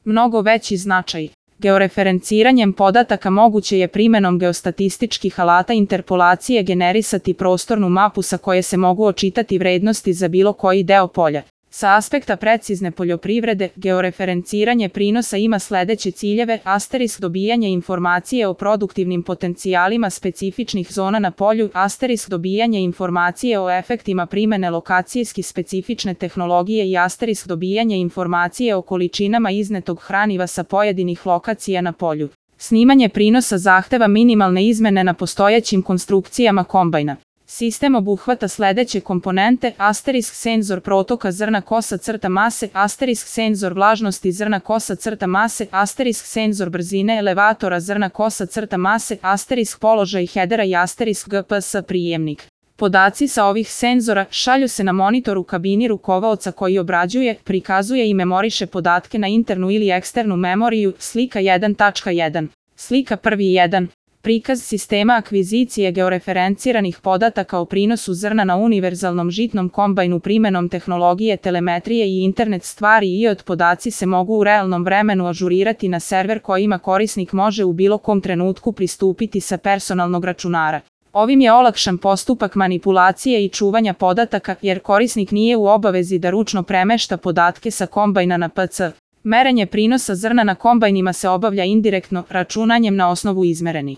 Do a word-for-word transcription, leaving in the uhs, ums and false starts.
mnogo veći značaj. Georeferenciranjem podataka moguće je primenom geostatističkih alata interpolacije generisati prostornu mapu sa koje se mogu očitati vrednosti za bilo koji deo polja. Sa aspekta precizne poljoprivrede, georeferenciranje prinosa ima sledeće ciljeve: asterisk dobijanje informacije o produktivnim potencijalima specifičnih zona na polju, asterisk dobijanje informacije o efektima primene lokacijski specifične tehnologije i asterisk dobijanje informacije o količinama iznetog hraniva sa pojedinih lokacija na polju. Snimanje prinosa zahteva minimalne izmene na postojećim konstrukcijama kombajna. Sistem obuhvata sledeće komponente: asterisk senzor protoka zrna kosa crta mase, asterisk senzor vlažnosti zrna kosa crta mase, asterisk senzor brzine elevatora zrna kosa crta mase, asterisk položaj hedera i asterisk G P S prijemnik. Podaci sa ovih senzora šalju se na monitor u kabini rukovaoca koji obrađuje, prikazuje i memoriše podatke na internu ili eksternu memoriju. Slika jedan tačka jedan. Slika prvi jedan. Prikaz sistema akvizicije georeferenciranih podataka o prinosu zrna na univerzalnom žitnom kombajnu primenom tehnologije telemetrije i internet stvari i od podaci se mogu u realnom vremenu ažurirati na server kojima korisnik može u bilo kom trenutku pristupiti sa personalnog računara. Ovim je olakšan postupak manipulacije i čuvanja podataka jer korisnik nije u obavezi da ručno premešta podatke sa kombajna na P C. Merenje prinosa zrna na kombajnima se obavlja indirektno, računanjem na osnovu izmerenih